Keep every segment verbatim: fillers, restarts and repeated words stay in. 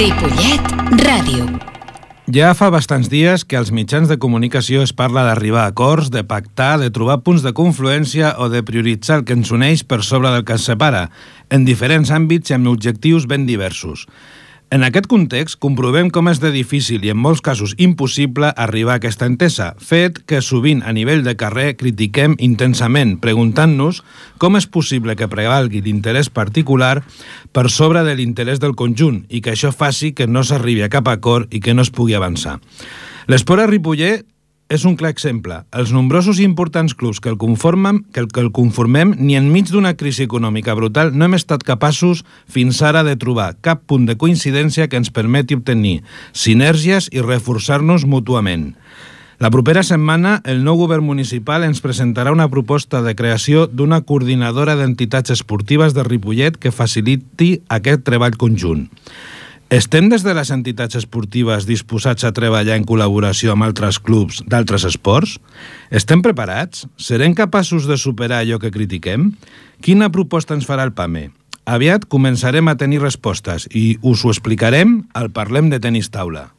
Ripollet Ràdio. Ja fa bastants dies que als mitjans de comunicació es parla d'arribar a acords, de pactar, de trobar punts de confluència o de prioritzar el que ens uneix per sobre del que ens separa, en diferents àmbits i amb objectius ben diversos. En aquest context, comprovem com és de difícil i en molts casos impossible arribar a aquesta entesa, fet que sovint a nivell de carrer critiquem intensament, preguntant-nos com és possible que prevalgui l'interès particular per sobre de l'interès del conjunt i que això faci que no s'arribi a cap acord i que no es pugui avançar. L'Esport a Ripollet és un clar exemple. Els nombrosos i importants clubs que el conformen, que el, que el conformem, ni enmig d'una crisi econòmica brutal no hem estat capaços fins ara de trobar cap punt de coincidència que ens permeti obtenir sinergies i reforçar-nos mútuament. La propera setmana, el nou govern municipal ens presentarà una proposta de creació d'una coordinadora d'entitats esportives de Ripollet que faciliti aquest treball conjunt. Estem des de les entitats esportives disposats a treballar en col·laboració amb altres clubs d'altres esports? Estem preparats? Serem capaços de superar allò que critiquem? Quina proposta ens farà el P A M E? Aviat començarem a tenir respostes i us ho explicarem al Parlem de Tenis Taula.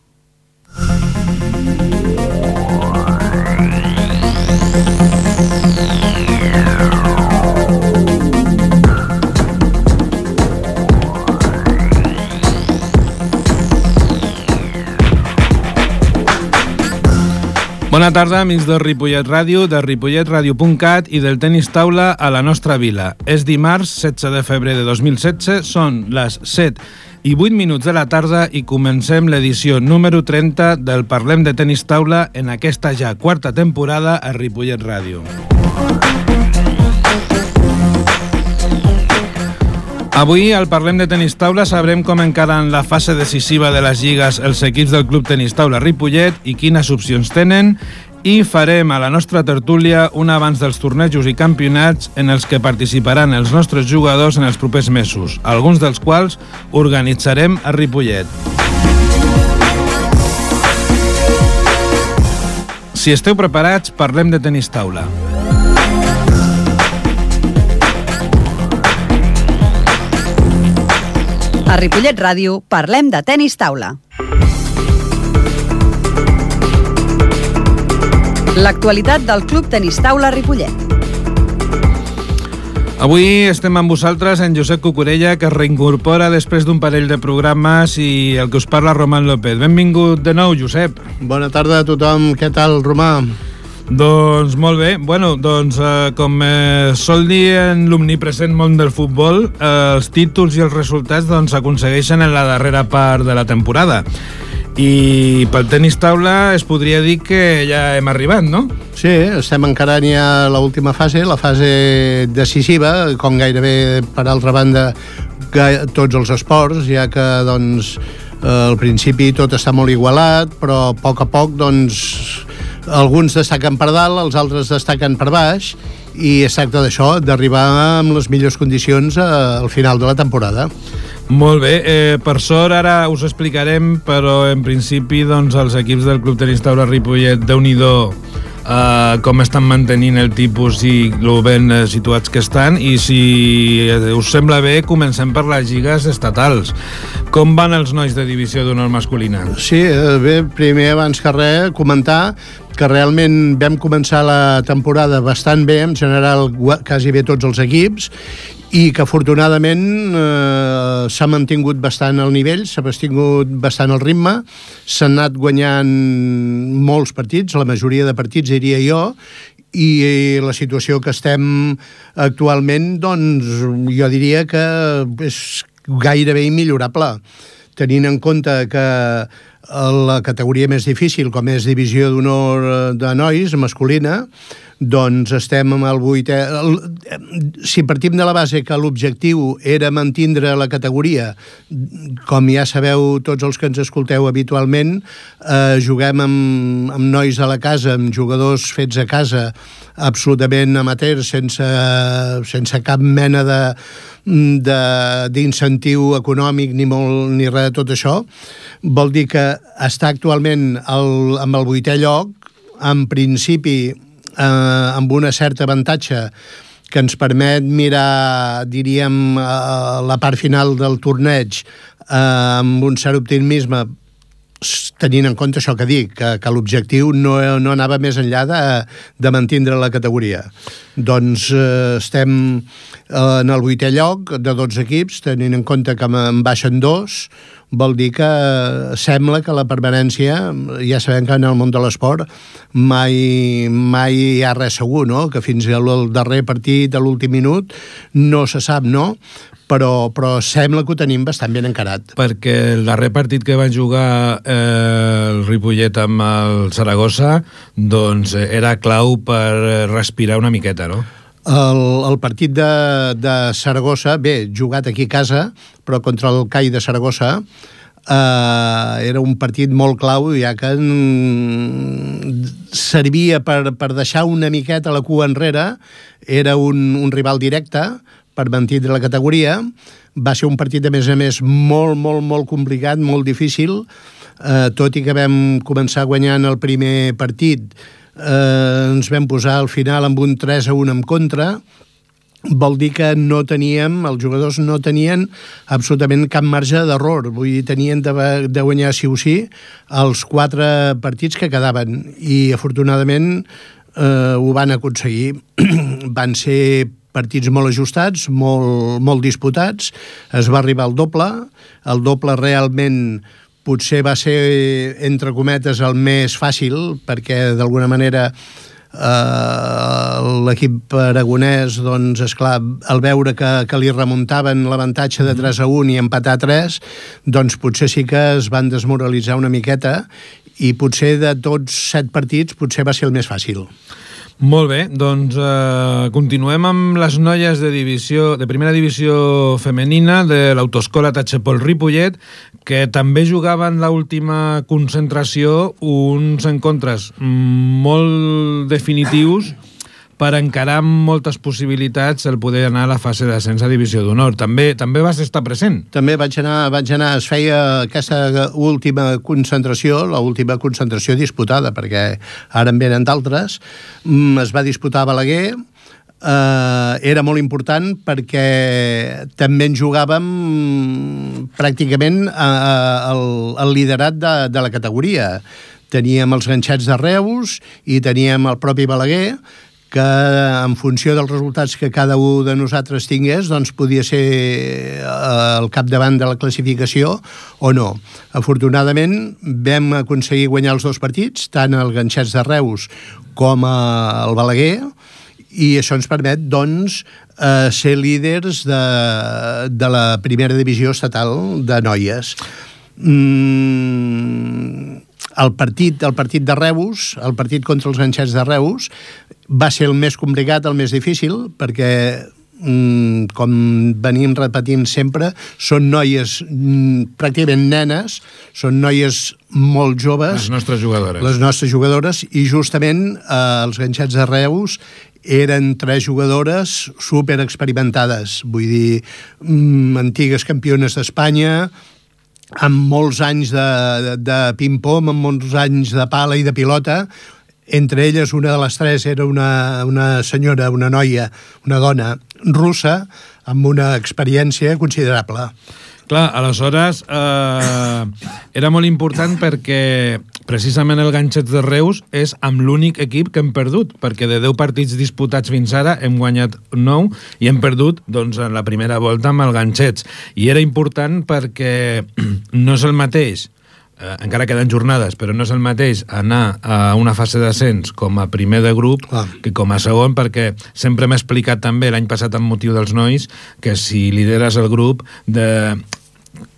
Bona tarda, amics de Ripollet Ràdio, de ripollet ràdio punt cat i del Tenis Taula a la nostra vila. És dimarts, setze de febrer de dos mil setze, són les set i vuit minuts de la tarda i comencem l'edició número trenta del Parlem de Tenis Taula en aquesta ja quarta temporada a Ripollet Ràdio. Avui, al Parlem de Tenis Taula, sabrem com encaren la fase decisiva de les lligues els equips del Club Tenis Taula Ripollet i quines opcions tenen, i farem a la nostra tertúlia un abans dels tornejos i campionats en els que participaran els nostres jugadors en els propers mesos, alguns dels quals organitzarem a Ripollet. Si esteu preparats, parlem de Tenis Taula. A Ripollet Ràdio parlem de tenis taula. L'actualitat del Club Tenis Taula Ripollet. Avui estem amb vosaltres en Josep Cucurella, que es reincorpora després d'un parell de programes, i el que us parla, Roman López. Benvingut de nou, Josep. Bona tarda a tothom. Què tal, Romà? Doncs molt bé. Bueno, doncs eh, com eh, sol dir en l'omnipresent món del futbol, eh, els títols i els resultats doncs s'aconsegueixen en la darrera part de la temporada. I pel tenis taula es podria dir que ja hem arribat, no? Sí, estem encarant ja l'última fase, la fase decisiva, com gairebé, per altra banda, tots els esports, ja que, doncs, al principi tot està molt igualat, però a poc a poc, doncs, alguns destaquen per dalt, els altres destaquen per baix, i es tracta d'això, d'arribar amb les millors condicions al final de la temporada. Molt bé, eh, per sort ara us explicarem, però en principi doncs, els equips del Club Tenis Taula Ripollet, Déu-n'hi-do eh, com estan mantenint el tipus i lo ben eh, situats que estan, i si us sembla bé comencem per les lligues estatals. Com van els nois de divisió d'honor masculina? Sí, bé, primer abans que res comentar que realment vam començar la temporada bastant bé, en general quasi bé tots els equips, i que afortunadament eh, s'ha mantingut bastant el nivell, s'ha mantingut bastant el ritme, s'han anat guanyant molts partits, la majoria de partits diria jo, i la situació que estem actualment, doncs jo diria que és gairebé immillorable, tenint en compte que la categoria més difícil, com és divisió d'honor de nois, masculina, doncs estem amb el vuitè... Si partim de la base que l'objectiu era mantindre la categoria, com ja sabeu tots els que ens escolteu habitualment, eh, juguem amb, amb nois a la casa, amb jugadors fets a casa, absolutament amateurs, sense, sense cap mena de d'incentiu econòmic ni molt ni res de tot això. Vol dir que està actualment el, amb el vuitè lloc, en principi eh, amb una certa avantatge que ens permet mirar, diríem, la part final del torneig amb un cert optimisme, tenint en compte això que dic, que, que l'objectiu no, no anava més enllà de, de mantindre la categoria. Doncs eh, estem en el vuitè lloc de dotze equips, tenint en compte que en baixen dos, vol dir que sembla que la permanència, ja sabem que en el món de l'esport mai, mai hi ha res segur, no? Que fins al darrer partit, a l'últim minut, no se sap, no? Però, però sembla que ho tenim bastant ben encarat. Perquè el darrer partit que van jugar eh, el Ripollet amb el Saragossa doncs era clau per respirar una miqueta, no? El, el partit de, de Saragossa, bé, jugat aquí a casa, però contra el C A I de Saragossa, eh, era un partit molt clau, ja que mm, servia per, per deixar una miqueta la cua enrere, era un, un rival directe, per mantindre la categoria. Va ser un partit, a més a més, molt, molt, molt complicat, molt difícil, eh, tot i que vam començar guanyant el primer partit, eh, ens vam posar al final amb un tres a un en contra, vol dir que no teníem, els jugadors no tenien absolutament cap marge d'error, vull dir, tenien de, de guanyar sí o sí els quatre partits que quedaven, i afortunadament eh, ho van aconseguir. Van ser partits molt ajustats, molt, molt disputats, es va arribar al doble, el doble realment potser va ser, entre cometes, el més fàcil, perquè d'alguna manera eh, l'equip aragonès, doncs, esclar, al veure que, que li remuntaven l'avantatge de tres a un i empatar tres, doncs potser sí que es van desmoralitzar una miqueta, i potser de tots set partits potser va ser el més fàcil. Molt bé, doncs eh, continuem amb les noies de divisió de primera divisió femenina de l'Autoescola Tachepol Ripollet, que també jugaven l'última concentració uns encontres molt definitius per encarar amb moltes possibilitats el poder anar a la fase d'ascens a divisió d'honor. També també vas estar present. També vaig anar, vaig anar, es feia aquesta última concentració, l'última concentració disputada, perquè ara en venen d'altres, es va disputar a Balaguer, eh, era molt important perquè també en jugàvem pràcticament eh, el, el liderat de, de la categoria. Teníem els ganxets de Reus i teníem el propi Balaguer, que en funció dels resultats que cada un de nosaltres tingués, doncs podia ser el capdavant de la classificació o no. Afortunadament vam aconseguir guanyar els dos partits, tant el Ganxets de Reus com el Balaguer, i això ens permet, doncs, eh, ser líders de, de la primera divisió estatal de noies. Mm, el partit, el partit de Reus, el partit contra els Ganxets de Reus, va ser el més complicat, el més difícil, perquè, mm, com venim repetint sempre, són noies, mm, pràcticament nenes, són noies molt joves. Les nostres jugadores. Les nostres jugadores, i justament eh, els Ganxets de Reus eren tres jugadores super experimentades, vull dir, mm, antigues campiones d'Espanya, amb molts anys de, de, de ping-pong, amb molts anys de pala i de pilota. Entre elles, una de les tres era una, una senyora, una noia, una dona russa, amb una experiència considerable. Clar, aleshores eh, era molt important perquè precisament el Ganxets de Reus és amb l'únic equip que hem perdut, perquè de deu partits disputats fins ara hem guanyat nou i hem perdut, doncs, en la primera volta amb el Ganxets. I era important perquè no és el mateix, eh, encara queden jornades, però no és el mateix anar a una fase d'ascens com a primer de grup ah. que com a segon, perquè sempre m'he explicat també l'any passat amb motiu dels nois que si lideres el grup, de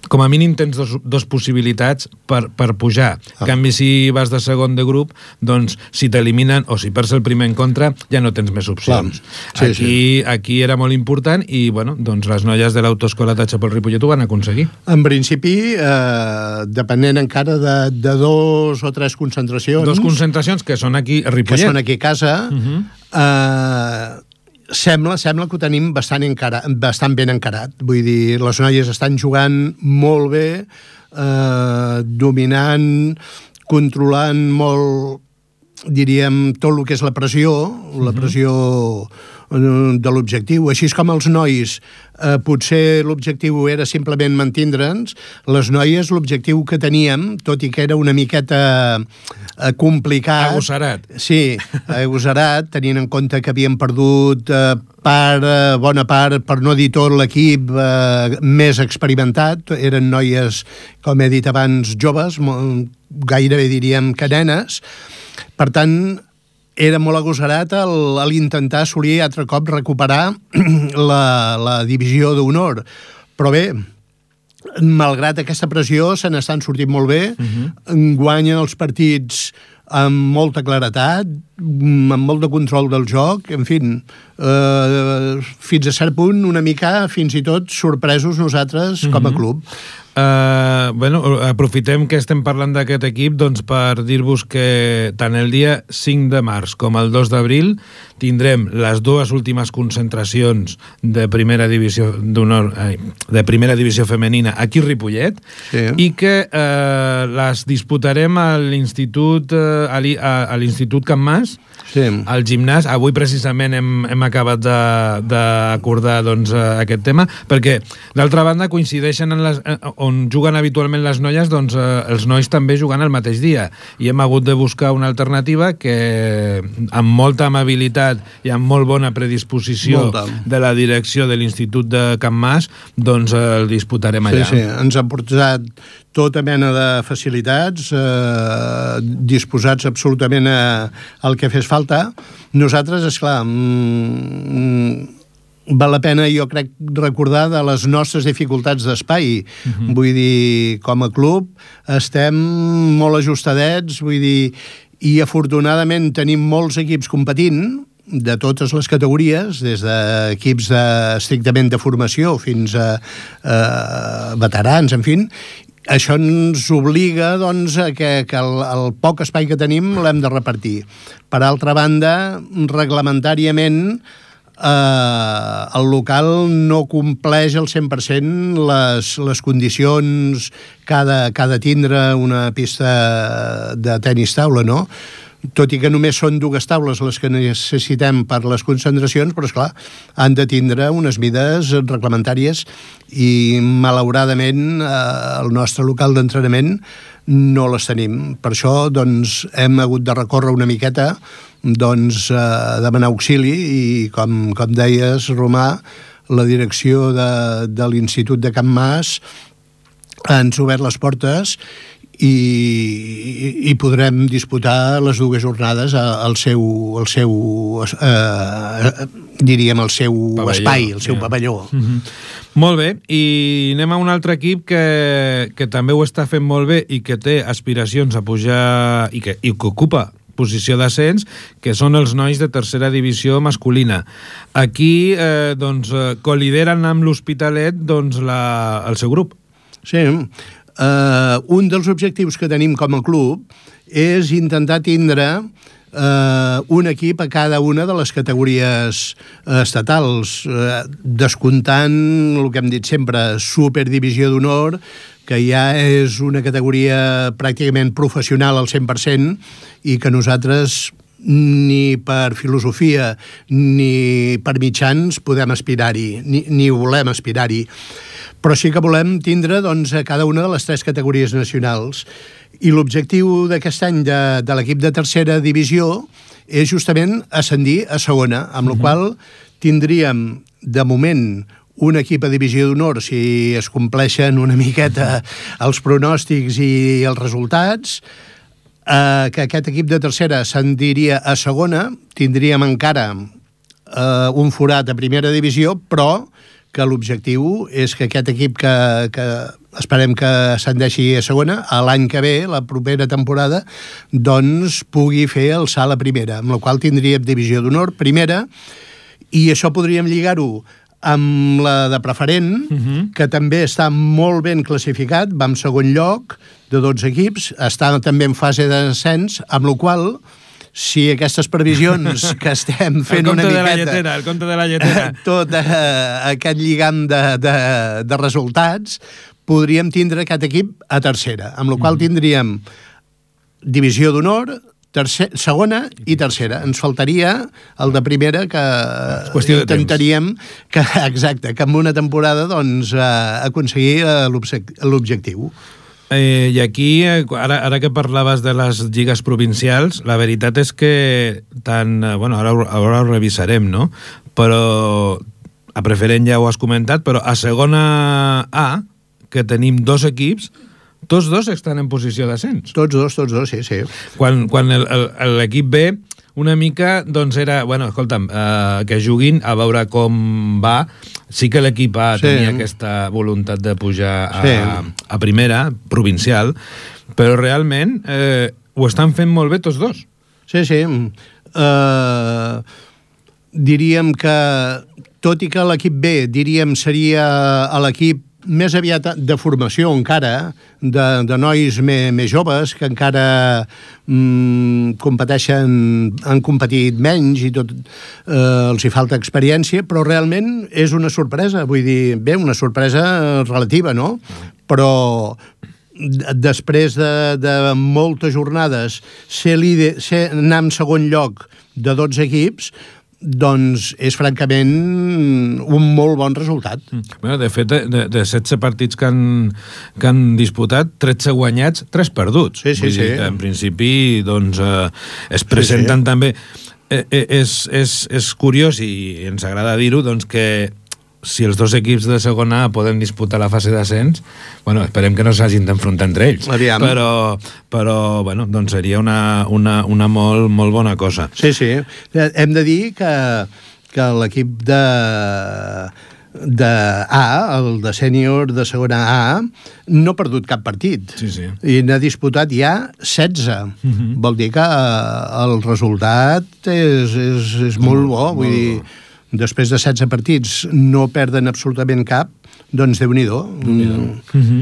com a mínim tens dos, dos possibilitats per, per pujar. Ah. En canvi, si vas de segon de grup, doncs si t'eliminen o si perds el primer en contra, ja no tens més opcions. Sí, aquí, sí. aquí era molt important i, bueno, doncs les noies de l'Autoescola Tachepol Ripollet ho van aconseguir. En principi, eh, depenent encara de, de dos o tres concentracions... Dos concentracions que són aquí a Ripollet. Que són aquí a casa... Uh-huh. eh, Sembla, sembla que ho tenim bastant, encara, bastant ben encarat. Vull dir, les noies estan jugant molt bé, eh, dominant, controlant molt, diríem, tot el que és la pressió, la pressió de l'objectiu. Així com els nois, eh, potser l'objectiu era simplement mantindre'ns, les noies l'objectiu que teníem, tot i que era una miqueta eh, complicat... Agosserat. Sí, agosserat, tenint en compte que havíem perdut eh, part, eh, bona part, per no dir tot l'equip eh, més experimentat. Eren noies, com he dit abans, joves, gairebé diríem que nenes. Per tant, era molt agosserat l'intentar assolir altre cop recuperar la, la divisió d'honor. Però bé, malgrat aquesta pressió, se n'estan sortint molt bé, uh-huh. guanyen els partits amb molta claretat, amb molt de control del joc, en fi, eh, fins a cert punt, una mica, fins i tot, sorpresos nosaltres com a club. Uh, bueno, aprofitem que estem parlant d'aquest equip doncs, per dir-vos que tant el dia cinc de març com el dos d'abril tindrem les dues últimes concentracions de primera divisió d'honor, de primera divisió femenina aquí a Ripollet, sí. I que uh, les disputarem a l'Institut uh, a l'Institut Can Mas, sí. Al gimnàs. Avui precisament hem, hem acabat d'acordar doncs, aquest tema, perquè d'altra banda coincideixen en les, on juguen habitualment les noies, doncs eh, els nois també jugant el mateix dia, i hem hagut de buscar una alternativa que amb molta amabilitat i amb molt bona predisposició molta. De la direcció de l'Institut de Can Mas, doncs eh, el disputarem allà. Sí, sí, ens han portat tota mena de facilitats, eh, disposats absolutament a, al que fes falta. Nosaltres, esclar, mm, val la pena, jo crec, recordar de les nostres dificultats d'espai. Uh-huh. Vull dir, com a club estem molt ajustadets, vull dir, i afortunadament tenim molts equips competint, de totes les categories, des d'equips de, estrictament de formació fins a eh, veterans, en fi. Això ens obliga, doncs, a que, que el, el poc espai que tenim l'hem de repartir. Per altra banda, reglamentàriament, eh, el local no compleix al cent per cent les, les condicions que ha de, que ha de tindre una pista de tenis taula, no? Tot i que només són dues taules les que necessitem per les concentracions, però, esclar, han de tindre unes mides reglamentàries i, malauradament, eh, el nostre local d'entrenament no les tenim. Per això, doncs, hem hagut de recórrer una miqueta, doncs, a demanar auxili i, com, com deies, Romà, la direcció de, de l'Institut de Can Mas ens ha obert les portes i, i, i podrem disputar les dues jornades al seu, al seu eh, diríem, el seu pavelló. Espai, el seu yeah. pavelló. Mm-hmm. Molt bé, i anem a un altre equip que, que també ho està fent molt bé i que té aspiracions a pujar i que, i que ocupa posició d'ascens, que són els nois de tercera divisió masculina. Aquí eh, doncs, colideren amb l'Hospitalet doncs, la, el seu grup. Sí, Uh, un dels objectius que tenim com a club és intentar tindre uh, un equip a cada una de les categories uh, estatals, uh, descomptant el que hem dit sempre, superdivisió d'honor, que ja és una categoria pràcticament professional al cent per cent i que nosaltres ni per filosofia ni per mitjans podem aspirar-hi, ni, ni volem aspirar-hi. Però sí que volem tindre, doncs, a cada una de les tres categories nacionals. I l'objectiu d'aquest any de, de l'equip de tercera divisió és justament ascendir a segona, amb la qual tindríem, de moment, un equip a divisió d'honor, si es compleixen una miqueta els pronòstics i els resultats, eh, que aquest equip de tercera ascendiria a segona, tindríem encara eh, un forat a primera divisió, però que l'objectiu és que aquest equip que, que esperem que ascendeixi a segona, a l'any que ve, la propera temporada, doncs pugui fer el salt a primera, amb la qual tindríem divisió d'honor primera, i això podríem lligar-ho amb la de preferent, uh-huh. que també està molt ben classificat, va en segon lloc de dotze equips, està també en fase d'ascens, amb la qual si aquestes previsions que estem fent una miqueta... El compte de la lletera, el compte de la lletera. Tot eh, aquest lligam de, de, de resultats, podríem tindre aquest equip a tercera, amb la qual tindríem divisió d'honor, tercer, segona i tercera. Ens faltaria el de primera, que intentaríem que, exacte, que en una temporada doncs, eh, aconseguir l'objectiu. Eh, I aquí, ara, ara que parlaves de les lligues provincials, la veritat és que tant, bueno, ara, ara ho revisarem, no? Però a preferent ja ho has comentat, però a segona A, que tenim dos equips, tots dos estan en posició d'ascens. Tots dos, tots dos, sí, sí. Quan, quan l'equip B una mica, doncs era, bueno, escolta'm, eh, que juguin a veure com va. Sí que l'equip A sí. tenia aquesta voluntat de pujar a, sí. a primera, provincial, però realment eh, ho estan fent molt bé tots dos. Sí, sí. Uh, diríem que, tot i que l'equip B, diríem, seria l'equip més aviat de formació encara, de, de nois me, més joves que encara mm, competeixen, han competit menys i tot, eh, els hi falta experiència, però realment és una sorpresa, vull dir, bé, una sorpresa relativa, no? Però després de, de moltes jornades ser líder, ser, anar en segon lloc de dotze equips, doncs és francament un molt bon resultat. Bueno, de fet, de, de setze partits que han, que han disputat, tretze guanyats, tres perduts. Sí, sí, Vull sí. dir que, en principi, doncs, eh, es presenten sí, sí. també... Eh, eh, és, és, és curiós, i ens agrada dir-ho, doncs que si els dos equips de segona A poden disputar la fase d'ascens, bueno, esperem que no s'hagin d'enfrontar entre ells. Aviam. Però, però bueno, doncs seria una, una, una molt, molt bona cosa. Sí, sí. Hem de dir que, que l'equip de, de A, el de sènior de segona A, no ha perdut cap partit. Sí, sí. I n'ha disputat ja setze. Uh-huh. Vol dir que el resultat és, és, és molt bo. Vull molt dir, bo. Després de setze partits no perden absolutament cap, doncs Déu-n'hi-do. Mm. Mm-hmm.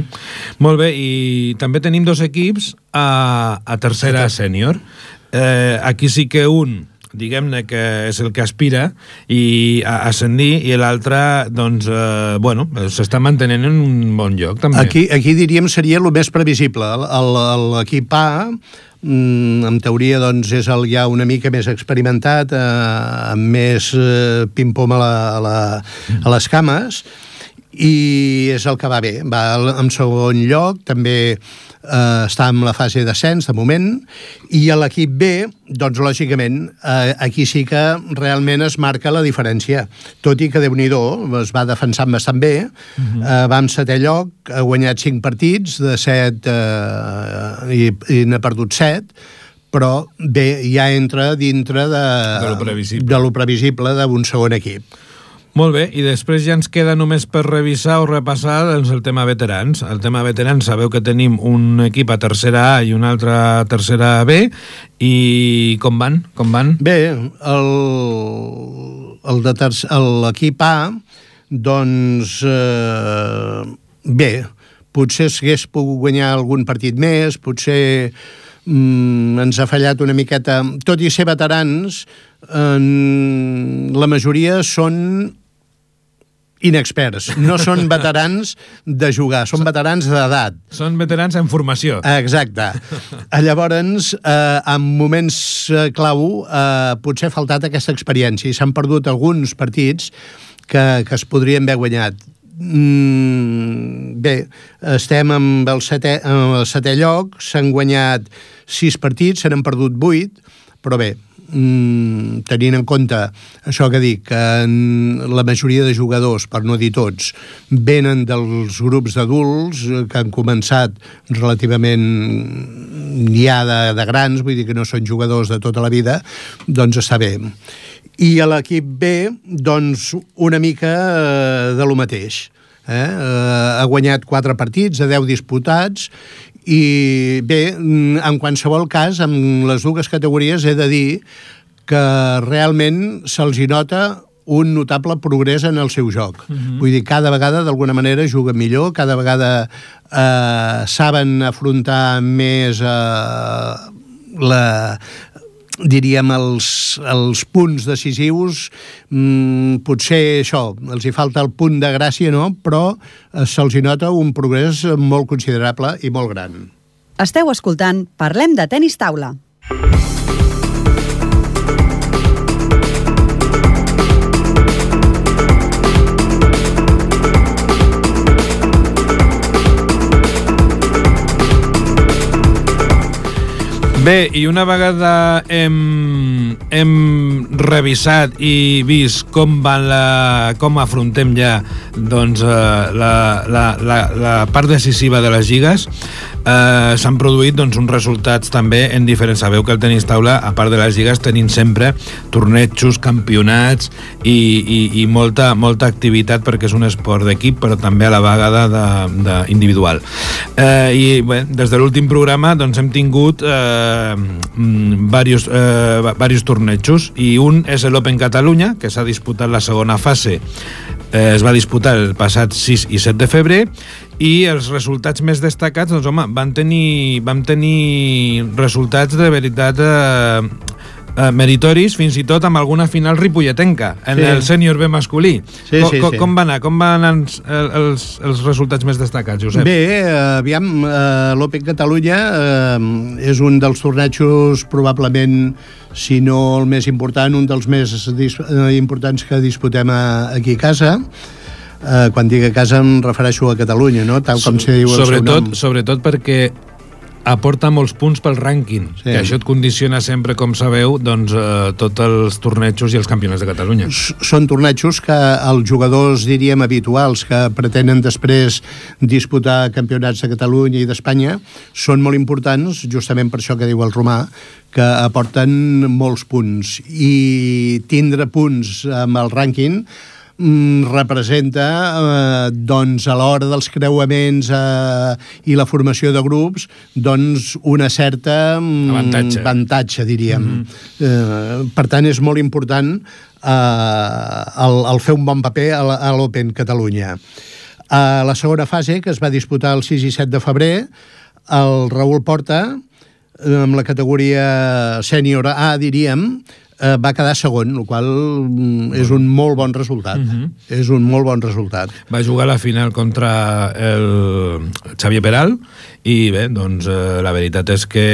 Molt bé, i també tenim dos equips a, a tercera sènior. Eh, aquí sí que un, diguem-ne que és el que aspira i a ascendir, i l'altre, doncs, eh, bueno, s'està mantenint en un bon lloc, també. Aquí, aquí diríem seria el més previsible. L'equip A, en teoria, doncs, és el ja una mica més experimentat, eh, amb més eh, pim-pom a, la, a, la, a les cames, i és el que va bé. Va en segon lloc, també eh, està en la fase d'ascens, de moment, i a l'equip B, doncs, lògicament, eh, aquí sí que realment es marca la diferència. Tot i que Déu-n'hi-do, es va defensant bastant bé, uh-huh. eh, va en setè lloc, ha guanyat cinc partits, de set, eh, i, i n'ha perdut set, però bé, ja entra dintre de, de lo previsible, de lo previsible d'un segon equip. Molt bé, i després ja ens queda només per revisar o repassar doncs, el tema veterans. El tema veterans, sabeu que tenim un equip a tercera A i un altre a tercera B, i com van? Com van? Bé, el, el de ter- l'equip A, doncs, eh, bé, potser s'hagués pogut guanyar algun partit més, potser mm, ens ha fallat una miqueta. Tot i ser veterans, eh, la majoria són inexperts, no són veterans de jugar, són veterans d'edat. Són veterans en formació. Exacte. Llavors, eh, en moments eh, clau, eh, potser ha faltat aquesta experiència i s'han perdut alguns partits que, que es podrien haver guanyat. Mm, bé, estem amb el setè, en el setè lloc, s'han guanyat sis partits, se n'han perdut vuit, però bé, Mm, tenint en compte això que dic, que la majoria de jugadors, per no dir tots, venen dels grups d'adults que han començat relativament ja de, de grans, vull dir que no són jugadors de tota la vida, doncs està bé. I a l'equip B, doncs, una mica eh, de lo mateix. Eh? Eh, ha guanyat quatre partits, a deu disputats, i bé, en qualsevol cas, en les dues categories he de dir que realment se'ls hi nota un notable progrés en el seu joc. Uh-huh. Vull dir, cada vegada d'alguna manera juguen millor, cada vegada eh, saben afrontar més eh, la... diríem, els, els punts decisius, mmm, potser això, els hi falta el punt de gràcia, no? Però eh, se'ls hi nota un progrés molt considerable i molt gran. Esteu escoltant Parlem de Tenis Taula. Bé, i una vegada hem, hem revisat i vist com van la, com afrontem ja doncs, la, la, la, la part decisiva de les lligues, eh, s'han produït doncs, uns resultats també en diferents. Sabeu que el tenis taula, a part de les lligues, tenim sempre tornejos, campionats i, i, i molta, molta activitat, perquè és un esport d'equip, però també a la vegada de, de individual. Eh, I bé, des de l'últim programa doncs, hem tingut eh, Varios, eh, varios tornejos, i un és l'Open Catalunya, que s'ha disputat la segona fase, eh, es va disputar el passat sis i set de febrer, i els resultats més destacats, doncs home, van tenir, vam tenir resultats de veritat eh, eh, meritoris, fins i tot amb alguna final ripolletenca en sí. el sènior B masculí. Sí, com, sí, com, sí. com van anar? Com van anar els, els, els resultats més destacats, Josep? Bé, aviam, eh, l'Open Catalunya eh, és un dels tornejos probablement, si no el més important, un dels més dis eh, importants que disputem a, aquí a casa. Eh, quan dic a casa em refereixo a Catalunya, no? Tal com se diu el sobretot, seu nom. Sobretot perquè aporta molts punts pel rànquing, sí. que això et condiciona sempre, com sabeu, doncs, eh, tots els tornejos i els campionats de Catalunya. Són tornejos que els jugadors, diríem, habituals, que pretenen després disputar campionats de Catalunya i d'Espanya, són molt importants, justament per això que diu el Romà, que aporten molts punts. I tindre punts amb el rànquing representa eh, doncs a l'hora dels creuaments eh, i la formació de grups doncs una certa avantatge, avantatge diríem. Mm-hmm. eh, per tant és molt important eh, el, el fer un bon paper a l'Open Catalunya. A la segona fase, que es va disputar el sis i set de febrer, el Raül Porta, amb la categoria sènior A, diríem, va quedar segon, el qual és un molt bon resultat. Uh-huh. És un molt bon resultat. Va jugar la final contra el Xavier Peral i bé, doncs eh, la veritat és que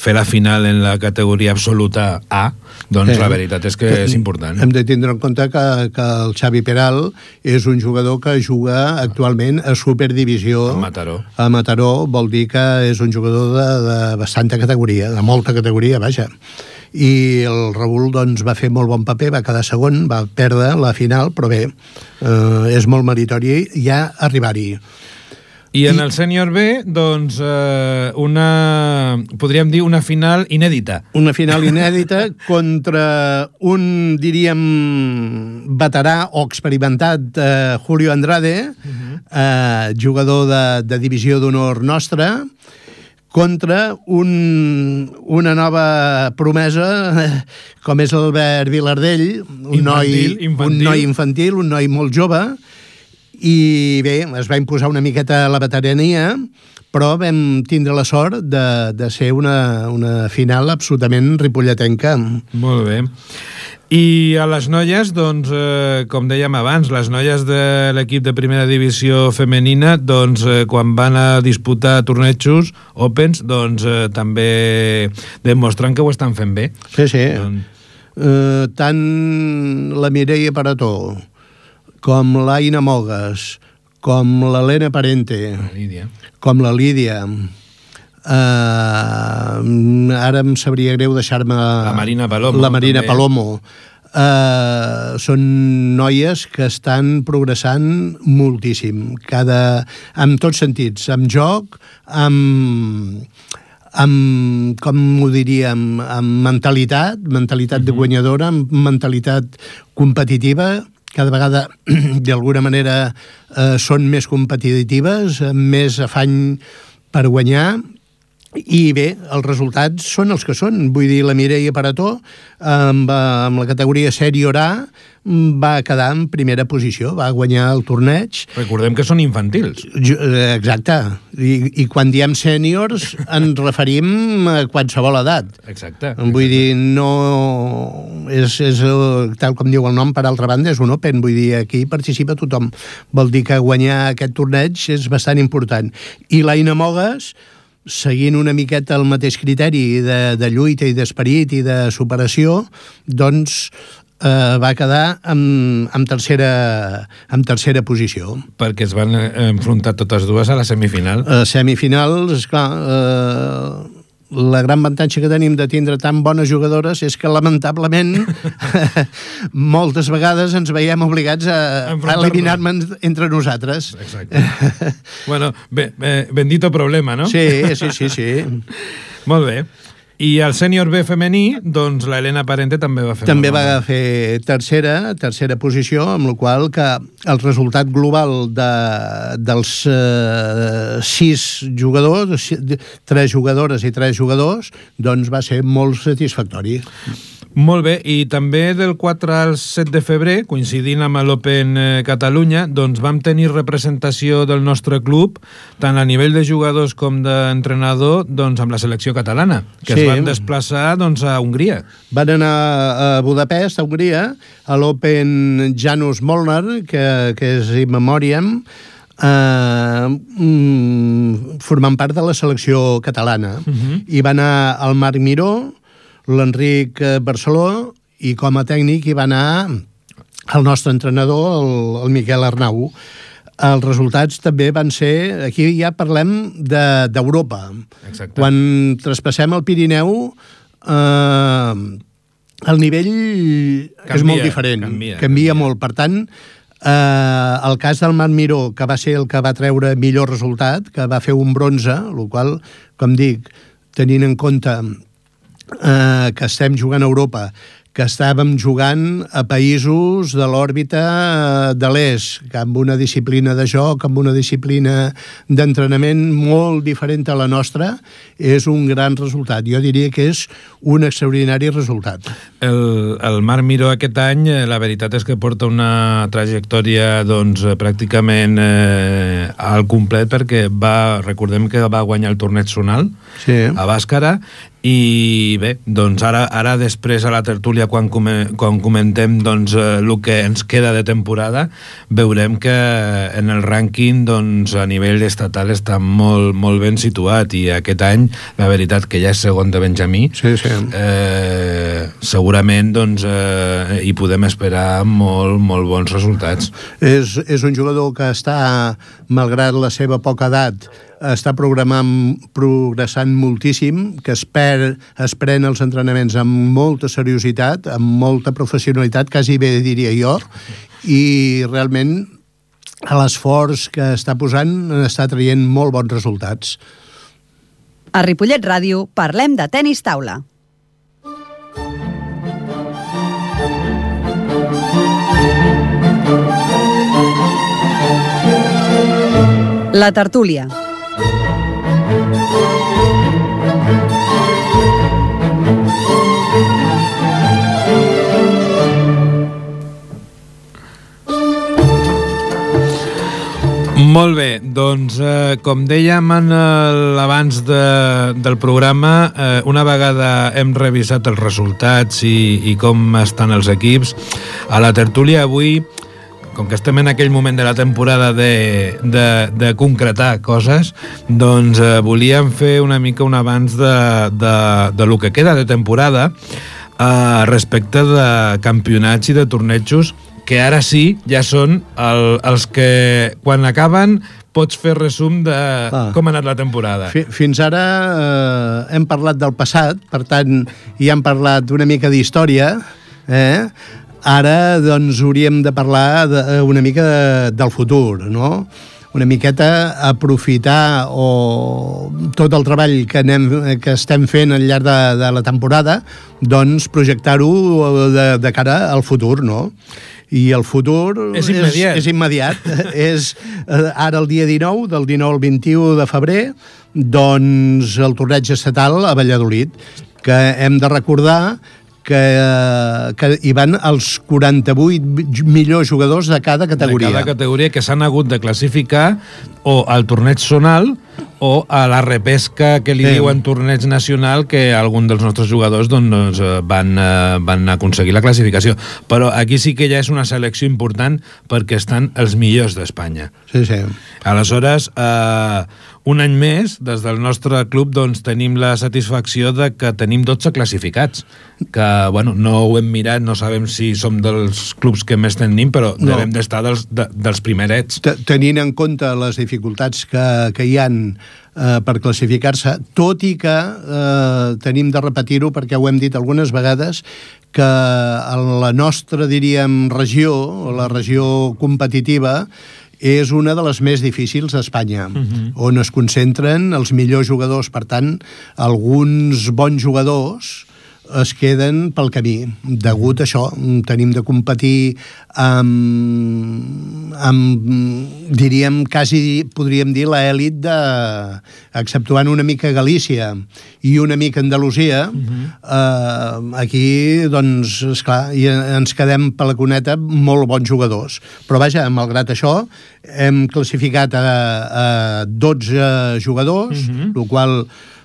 fer la final en la categoria absoluta A, doncs eh, la veritat és que és important. Hem de tindre en compte que, que el Xavi Peral és un jugador que juga actualment a Superdivisió. A Mataró. A Mataró, vol dir que és un jugador de, de bastanta categoria, de molta categoria, vaja. I el Raül doncs, va fer molt bon paper, va quedar segon, va perdre la final, però bé, eh, és molt meritori ja arribar-hi. I en el sènior B, doncs, eh, una, podríem dir una final inèdita. Una final inèdita contra un, diríem, veterà o experimentat, eh, Julio Andrade, uh-huh. eh, jugador de, de divisió d'honor nostra, contra un, una nova promesa com és l'Albert Vilardell, un, infantil, noi, infantil. un noi infantil, un noi molt jove, i bé, es va imposar una miqueta la veterania, però vam tindre la sort de, de ser una, una final absolutament ripolletenca. Molt bé. I a les noies, doncs, eh, com dèiem abans, les noies de l'equip de primera divisió femenina, doncs, eh, quan van a disputar tornejos, Opens, doncs, eh, també demostren que ho estan fent bé. Sí, sí. Doncs... Eh, tant la Mireia Parató, com l'Aina Mogues, com l'Helena Parente, la Lídia. com la Lídia... Uh, ara em sabria greu deixar-me la Marina Palomo, la Marina també. Palomo. Uh, són noies que estan progressant moltíssim, cada, en tots sentits, amb joc, amb, amb com ho diríem, amb mentalitat, mentalitat uh-huh. de guanyadora, amb mentalitat competitiva. Cada vegada, d'alguna manera, uh, són més competitives, amb més afany per guanyar. I bé, els resultats són els que són. Vull dir, la Mireia Parató, amb, amb la categoria sènior A, va quedar en primera posició, va guanyar el torneig. Recordem que són infantils. Exacte. I, i quan diem sèniors ens referim a qualsevol edat. Exacte. Vull dir, no... És, és, tal com diu el nom, per altra banda, és un Open. Vull dir, aquí participa tothom. Vol dir que guanyar aquest torneig és bastant important. I l'Aina Mogues, seguint una miqueta el mateix criteri de, de lluita i d'esperit i de superació, doncs eh, va quedar amb, amb, tercera, amb tercera posició. Perquè es van enfrontar totes dues a la semifinal. A semifinals, esclar, eh, la gran avantatge que tenim de tindre tan bones jugadores és que, lamentablement, moltes vegades ens veiem obligats a, a eliminar-nos entre nosaltres. Exacte. Bueno, bé, bé, bendito problema, no? Sí, sí, sí, sí. Molt bé. I el sènior B femení, doncs la Helena Parente també va fer... També va fer tercera, tercera posició, amb la qual que el resultat global de, dels eh, sis jugadors, tres jugadores i tres jugadors, doncs va ser molt satisfactori. Molt bé, i també del quatre al set de febrer, coincidint amb l'Open Catalunya, doncs vam tenir representació del nostre club, tant a nivell de jugadors com d'entrenador, doncs amb la selecció catalana, que sí. Es van desplaçar doncs, a Hongria. Van anar a Budapest, a Hongria, a l'Open Janus Molnar, que, que és in memoriam, Uh, mm, formant part de la selecció catalana. Uh-huh. I va anar el Marc Miró, l'Enric Barceló, i com a tècnic hi va anar el nostre entrenador, el, el Miquel Arnau. Els resultats també van ser... Aquí ja parlem d'Europa. De, Quan traspassem el Pirineu, eh, el nivell canvia, és molt diferent. Canvia, canvia, canvia molt. Per tant, eh, el cas del Marc Miró, que va ser el que va treure millor resultat, que va fer un bronze, el qual, com dic, tenint en compte Uh, que estem jugant a Europa, que estàvem jugant a països de l'òrbita de l'est, que amb una disciplina de joc, amb una disciplina d'entrenament molt diferent a la nostra, és un gran resultat. Jo diria que és un extraordinari resultat. El, el Marc Miró aquest any, la veritat és que porta una trajectòria doncs, pràcticament eh, al complet, perquè va, recordem que va guanyar el torneig zonal sí. a Bàscara, i bé, doncs ara, ara després a la tertúlia quan, come, quan comentem doncs, el que ens queda de temporada, veurem que en el rànquing doncs, a nivell estatal està molt, molt ben situat, i aquest any la veritat que ja és segon de Benjamí, sí, sí. Eh, segurament doncs, eh, hi podem esperar molt, molt bons resultats. És, és un jugador que està, malgrat la seva poca edat, està programant, progressant moltíssim, que es, per, es pren els entrenaments amb molta seriositat, amb molta professionalitat, quasi bé diria jo, i realment l'esforç que està posant està traient molt bons resultats. A Ripollet Ràdio parlem de tenis taula. La tertúlia. Molt bé, doncs eh, com dèiem en l'abans de, del programa, eh, una vegada hem revisat els resultats i, i com estan els equips, a la tertúlia avui, com que estem en aquell moment de la temporada de, de, de concretar coses, doncs eh, volíem fer una mica un abans de, de, de lo que queda de temporada eh, respecte de campionats i de tornejos, que ara sí, ja són el, els que, quan acaben, pots fer resum de ah. com ha anat la temporada. Fins ara eh, hem parlat del passat, per tant, ja hem parlat una mica d'història, eh? Ara, doncs, hauríem de parlar de, una mica de, del futur, no? Una miqueta aprofitar o tot el treball que, anem, que estem fent al llarg de, de la temporada, doncs projectar-ho de, de cara al futur, no? I el futur és immediat. És, és, immediat. és eh, ara el dia dinou, del dinou al vint-i-u de febrer, doncs el torneig estatal a Valladolid, que hem de recordar que, que hi van els quaranta-vuit millors jugadors de cada categoria. De cada categoria que s'han hagut de classificar o al torneig zonal o a la repesca que li sí. diuen torneig nacional, que algun dels nostres jugadors doncs, van, van aconseguir la classificació. Però aquí sí que ja és una selecció important perquè estan els millors d'Espanya. Sí, sí. Aleshores, eh, un any més, des del nostre club, doncs, tenim la satisfacció de que tenim dotze classificats, que, bueno, no ho hem mirat, no sabem si som dels clubs que més tenim, però no. devem d'estar dels, de, dels primerets. Tenint en compte les dificultats que, que hi han eh, per classificar-se, tot i que eh, tenim de repetir-ho perquè ho hem dit algunes vegades, que la nostra, diríem, regió, la regió competitiva, és una de les més difícils d'Espanya, uh-huh. on es concentren els millors jugadors. Per tant, alguns bons jugadors es queden pel camí. Degut a això, tenim de competir amb, amb diríem, quasi podríem dir l'elit de, exceptuant una mica Galícia i una mica Andalusia, uh-huh. eh, aquí, doncs, esclar, i ens quedem per la cuneta molt bons jugadors. Però vaja, malgrat això, hem classificat a, a dotze jugadors, uh-huh. el qual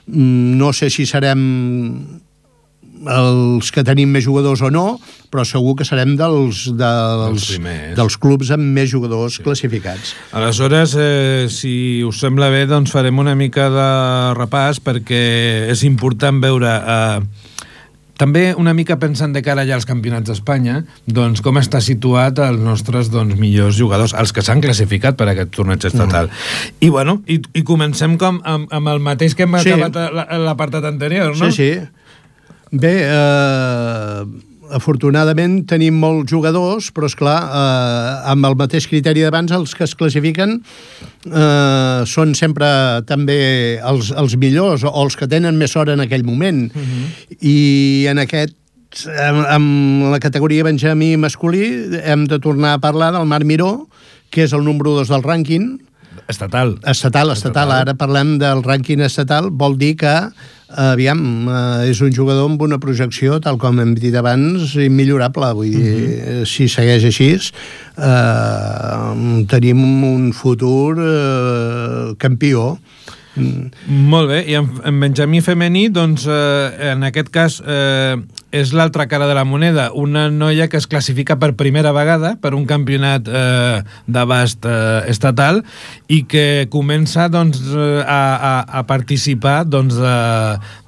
no sé si serem els que tenim més jugadors o no, però segur que serem dels, dels, dels clubs amb més jugadors sí. classificats. Aleshores, eh, si us sembla bé, doncs farem una mica de repàs, perquè és important veure... Eh, també una mica pensant de cara ja als campionats d'Espanya, doncs com està situat els nostres doncs, millors jugadors, els que s'han classificat per a aquest torneig estatal. Mm. I bueno, i, i comencem com amb, amb el mateix que hem sí. acabat l'apartat anterior, no? Sí, sí. Bé, eh, afortunadament tenim molts jugadors, però esclar, eh, amb el mateix criteri d'abans, els que es classifiquen eh, són sempre també els, els millors o els que tenen més sort en aquell moment. Uh-huh. I en aquest, en, en la categoria Benjamí masculí, hem de tornar a parlar del Marc Miró, que és el número dos del rànquing. Estatal. Estatal, estatal. estatal. Ara parlem del rànquing estatal, vol dir que aviam, eh, és un jugador amb una projecció, tal com hem dit abans, immillorable. Vull dir, uh-huh. si segueix així, eh, tenim un futur eh, campió. Mm. Molt bé, i en, en Benjamí femení, doncs, eh, en aquest cas, eh, és l'altra cara de la moneda, una noia que es classifica per primera vegada per un campionat eh, d'abast eh, estatal i que comença doncs, a, a, a participar doncs,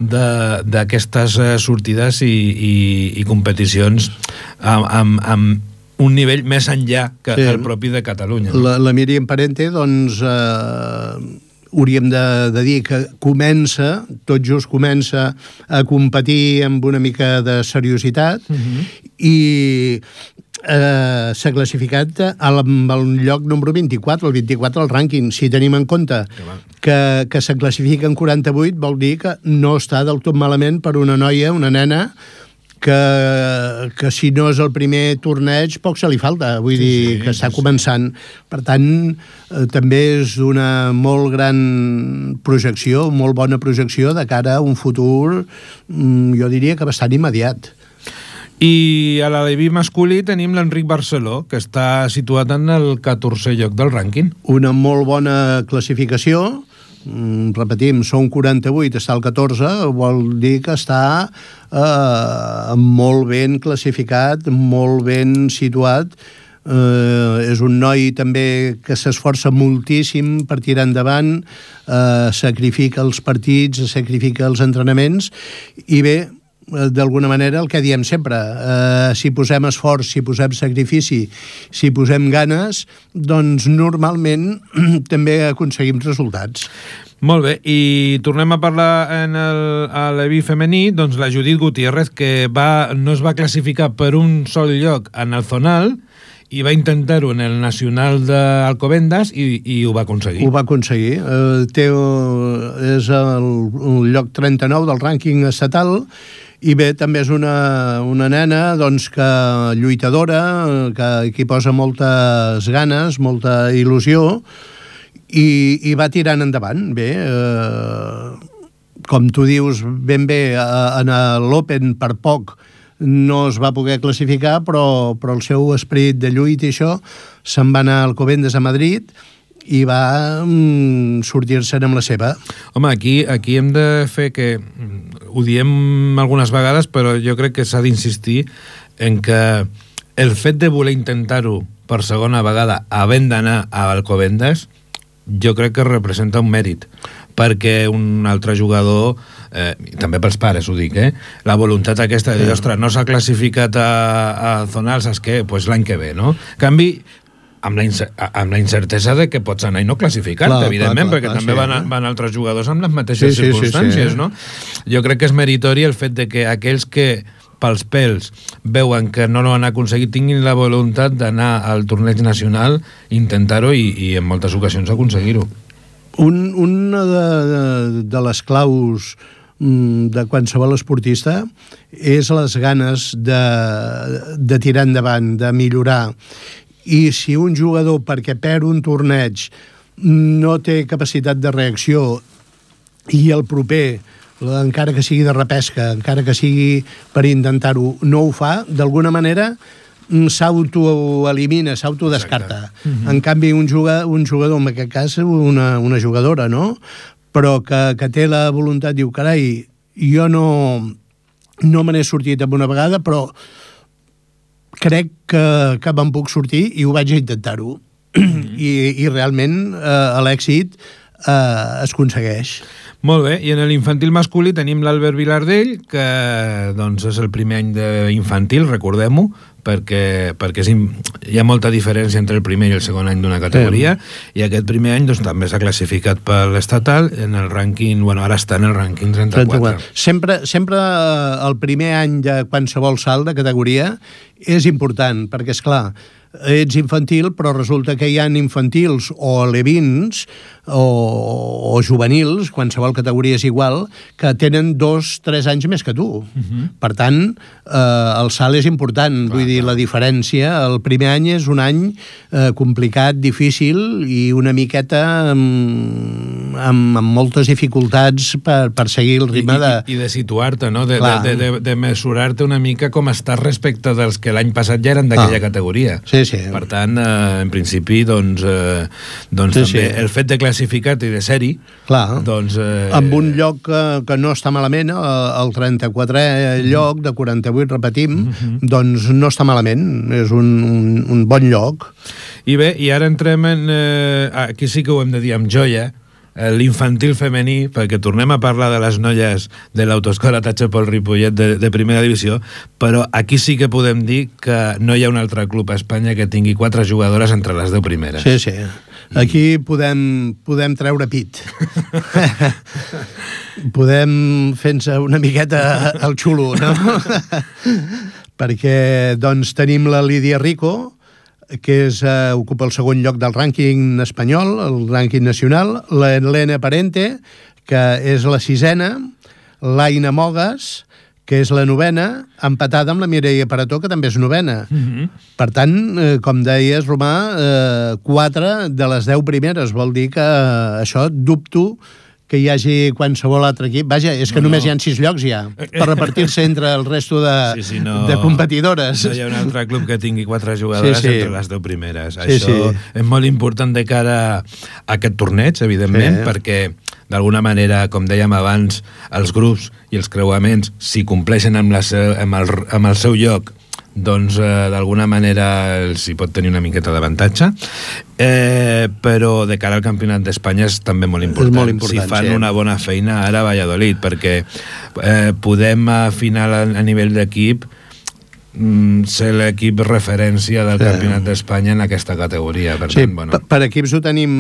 d'aquestes sortides i, i, i competicions amb, amb, amb un nivell més enllà que sí. el propi de Catalunya. La, la Míriam Parente, doncs... Eh... hauríem de, de dir que comença, tot just comença a competir amb una mica de seriositat uh-huh. i eh, s'ha classificat al, al lloc número vint-i-quatre, el vint-i-quatre al rànquing. Si tenim en compte que, que se classifica en quaranta-vuit, vol dir que no està del tot malament per una noia, una nena, que, que si no és el primer torneig poc se li falta, vull sí, dir sí, que està sí, començant. Per tant, eh, també és una molt gran projecció, molt bona projecció de cara a un futur, mm, jo diria que bastant immediat. I a l'aleví masculí tenim l'Enric Barceló, que està situat en el catorzè lloc del rànquing. Una molt bona classificació. Mm, repetim, són quaranta-vuit, està al catorze, vol dir que està eh, molt ben classificat, molt ben situat. Eh, és un noi també que s'esforça moltíssim per tirar endavant, eh, sacrifica els partits, sacrifica els entrenaments, i bé, d'alguna manera el que diem sempre, eh, si posem esforç, si posem sacrifici, si posem ganes, doncs normalment també aconseguim resultats. Molt bé, i tornem a parlar en el, a l'E V I femení, doncs la Judit Gutiérrez, que va, no es va classificar per un sol lloc en el zonal, i va intentar-ho en el nacional d'Alcobendas i, i ho va aconseguir. Ho va aconseguir. Eh, té, és el, el lloc trenta-nou del rànquing estatal, i bé, també és una, una nena doncs, que lluitadora, que, que hi posa moltes ganes, molta il·lusió, i, i va tirant endavant. Bé, eh, com tu dius ben bé, en l'Open per poc no es va poder classificar, però, però el seu esperit de lluita i això se'n va anar a Alcobendas a Madrid i va mm, sortir-se'n amb la seva. Home, aquí, aquí hem de fer que... Ho diem algunes vegades, però jo crec que s'ha d'insistir en que el fet de voler intentar-ho per segona vegada havent d'anar a Alcobendas, jo crec que representa un mèrit, perquè un altre jugador, eh, també pels pares ho dic, eh, la voluntat aquesta de dir, ostres, no s'ha classificat a, a zonal, saps què? Pues l'any que ve, no? En canvi, amb la, incer amb la incertesa de que pots anar i no classificar-te, evidentment, clar, clar, perquè clar, també sí, van, van altres jugadors amb les mateixes sí, circumstàncies, sí, sí, sí. no? Jo crec que és meritori el fet de que aquells que pels pèls veuen que no l'han aconseguit tinguin la voluntat d'anar al torneig nacional, intentar-ho i, i en moltes ocasions aconseguir-ho. Un, una de, de, de les claus de qualsevol esportista és les ganes de, de tirar endavant, de millorar. I si un jugador, perquè perd un torneig, no té capacitat de reacció i el proper, encara que sigui de repesca, encara que sigui per intentar-ho, no ho fa, d'alguna manera s'autoelimina, s'autodescarta. Mm-hmm. En canvi, un jugador, un jugador, en aquest cas una, una jugadora, no?, però que, que té la voluntat, diu, carai, jo no, no me n'he sortit amb una vegada, però crec que, que me'n puc sortir i ho vaig a intentar-ho. Mm-hmm. I, I realment eh, l'èxit eh, es aconsegueix. Molt bé, i en l'infantil masculí tenim l'Albert Vilardell, que doncs, és el primer any d'infantil, recordem-ho, perquè, perquè és, hi ha molta diferència entre el primer i el segon any d'una categoria, sí. I aquest primer any doncs, també s'ha classificat per l'estatal en el rànquing, bueno, ara està en el rànquing trenta-quatre. Sempre, sempre el primer any de qualsevol salt de categoria és important, perquè, és clar, ets infantil, però resulta que hi ha infantils o alevins o, o juvenils, qualsevol categoria és igual, que tenen dos, tres anys més que tu. Uh-huh. Per tant, eh, el salt és important. Clar, vull dir, clar. La diferència, el primer any és un any eh, complicat, difícil i una miqueta amb, amb, amb moltes dificultats per, per seguir el ritme de... I, i de situar-te, no? De, de, de, de mesurar-te una mica com estàs respecte dels que l'any passat ja eren d'aquella ah. categoria. Sí, sí. Per tant, eh, en principi, doncs, eh, doncs sí, també sí. el fet de classificar-te i de ser-hi, doncs... Eh... Amb un lloc que, que no està malament, el trenta-quatrè mm. lloc de quaranta-vuit, repetim, mm-hmm. doncs no està malament, és un, un, un bon lloc. I bé, i ara entrem en... Eh, aquí sí que ho hem de dir amb joia, l'infantil femení, perquè tornem a parlar de les noies de l'autoescola Tachepol Ripollet de, de primera divisió, però aquí sí que podem dir que no hi ha un altre club a Espanya que tingui quatre jugadores entre les deu primeres. Sí, sí. Aquí podem, podem treure pit. Podem fer-nos una miqueta el xulo, no? Perquè, doncs, tenim la Lídia Rico, que és, uh, ocupa el segon lloc del rànquing espanyol, el rànquing nacional, la Helena Parente, que és la sisena, l'Aina Mogas, que és la novena, empatada amb la Mireia Parató, que també és novena. Mm-hmm. Per tant, eh, com deies, Romà, eh, quatre de les deu primeres, vol dir que eh, això dubto que hi hagi qualsevol altre equip. Vaja, és que no, només no. hi ha sis llocs ja, per repartir-se entre el resto de, sí, sí, no, de competidores. No hi ha un altre club que tingui quatre jugadores sí, sí. entre les deu primeres. Sí, Això sí. és molt important de cara a aquest torneig, evidentment, sí. perquè d'alguna manera, com dèiem abans, els grups i els creuaments, si compleixen amb, la seu, amb, el, amb el seu lloc, doncs eh, d'alguna manera els hi pot tenir una miqueta d'avantatge, eh, però de cara al Campionat d'Espanya és també molt important, molt important si fan sí. una bona feina ara a Valladolid, perquè eh, podem afinar a, a nivell d'equip mm, ser l'equip referència del sí. Campionat d'Espanya en aquesta categoria. Per, sí, tant, bueno. per, per equips ho tenim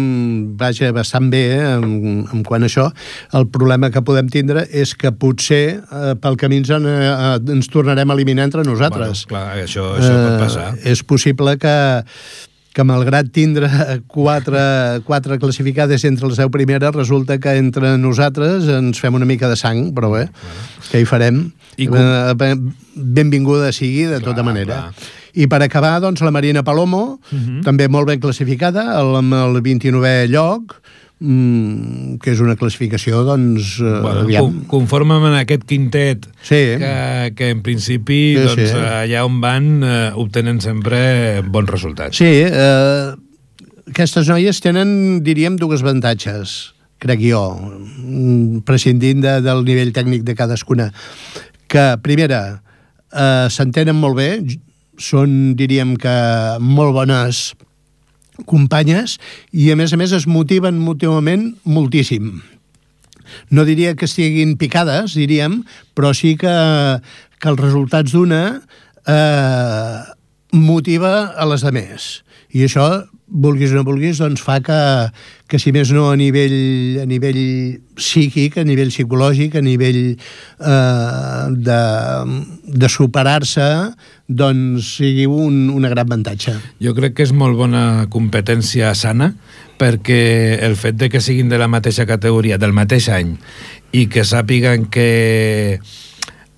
vaja, bastant bé eh, en, en quant a això. El problema que podem tindre és que potser eh, pel camí ens, eh, ens tornarem a eliminar entre nosaltres. Bueno, clar, això, això eh, pot passar. És possible que que malgrat tindre quatre, quatre classificades entre les deu primeres, resulta que entre nosaltres ens fem una mica de sang, però bé, què hi farem? I com... Benvinguda sigui, de clar, tota manera. Clar. I per acabar, doncs, la Marina Palomo, uh-huh. també molt ben classificada, amb el vint-i-novè lloc, Mm, que és una classificació, doncs... Bueno, con, conforme amb aquest quintet sí. que, que en principi sí, doncs, sí. allà on van eh, obtenen sempre bons resultats. Sí, eh, aquestes noies tenen, diríem, dues avantatges, crec jo, prescindint de, del nivell tècnic de cadascuna. Que, primera, eh, s'entenen molt bé, són, diríem que, molt bones companyes i a més a més es motiven mútuament moltíssim. No diria que estiguin picades, diríem, però sí que, que els resultats d'una eh, motiva a les demés. I això, vulguis o no vulguis, doncs fa que, que si més no a nivell, a nivell psíquic, a nivell psicològic, a nivell eh, de, de superar-se, doncs sigui un, un gran avantatge. Jo crec que és molt bona competència sana, perquè el fet de que siguin de la mateixa categoria, del mateix any, i que sàpiguen que,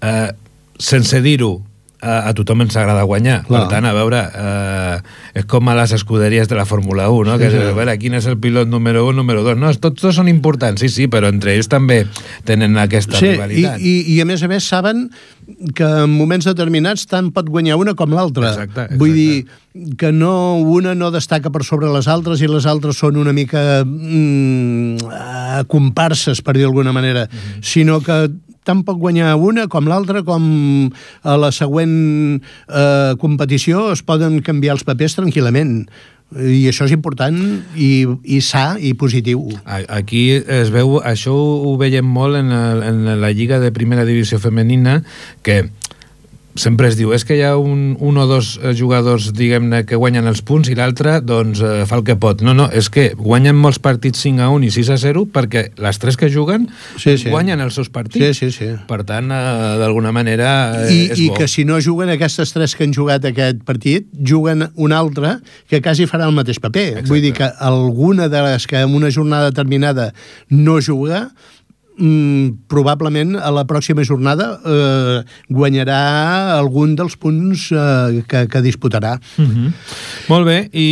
eh, sense dir-ho, a, a tothom ens agrada guanyar. Clar. Per tant, a veure, eh, és com a les escuderies de la Fórmula un, no? Sí, que sí. A veure, quin és el pilot número un, número dos. No, tots dos són importants, sí, sí, però entre ells també tenen aquesta sí, rivalitat. I, i, I a més a més saben que en moments determinats tant pot guanyar una com l'altra. Exacte, exacte. Vull dir que no, una no destaca per sobre les altres i les altres són una mica mm, comparses, per dir d'alguna manera, mm-hmm. sinó que tant pot guanyar una com l'altra, com a la següent eh, competició es poden canviar els papers tranquil·lament. I això és important i, i sa i positiu. Aquí es veu, això ho veiem molt en, el, en la Lliga de Primera Divisió Femenina, que sempre es diu, és que hi ha un, un o dos jugadors, diguem-ne, que guanyen els punts i l'altre, doncs, eh, fa el que pot. No, no, és que guanyen molts partits cinc a u i sis a zero perquè les tres que juguen sí, sí. guanyen els seus partits. Sí, sí, sí. Per tant, eh, d'alguna manera, eh, I, és I bo. que si no juguen aquestes tres que han jugat aquest partit, juguen un altre que quasi farà el mateix paper. Exacte. Vull dir que alguna de les que en una jornada determinada no juga, Mm, probablement a la pròxima jornada eh, guanyarà algun dels punts eh, que, que disputarà. Mm-hmm. Molt bé, i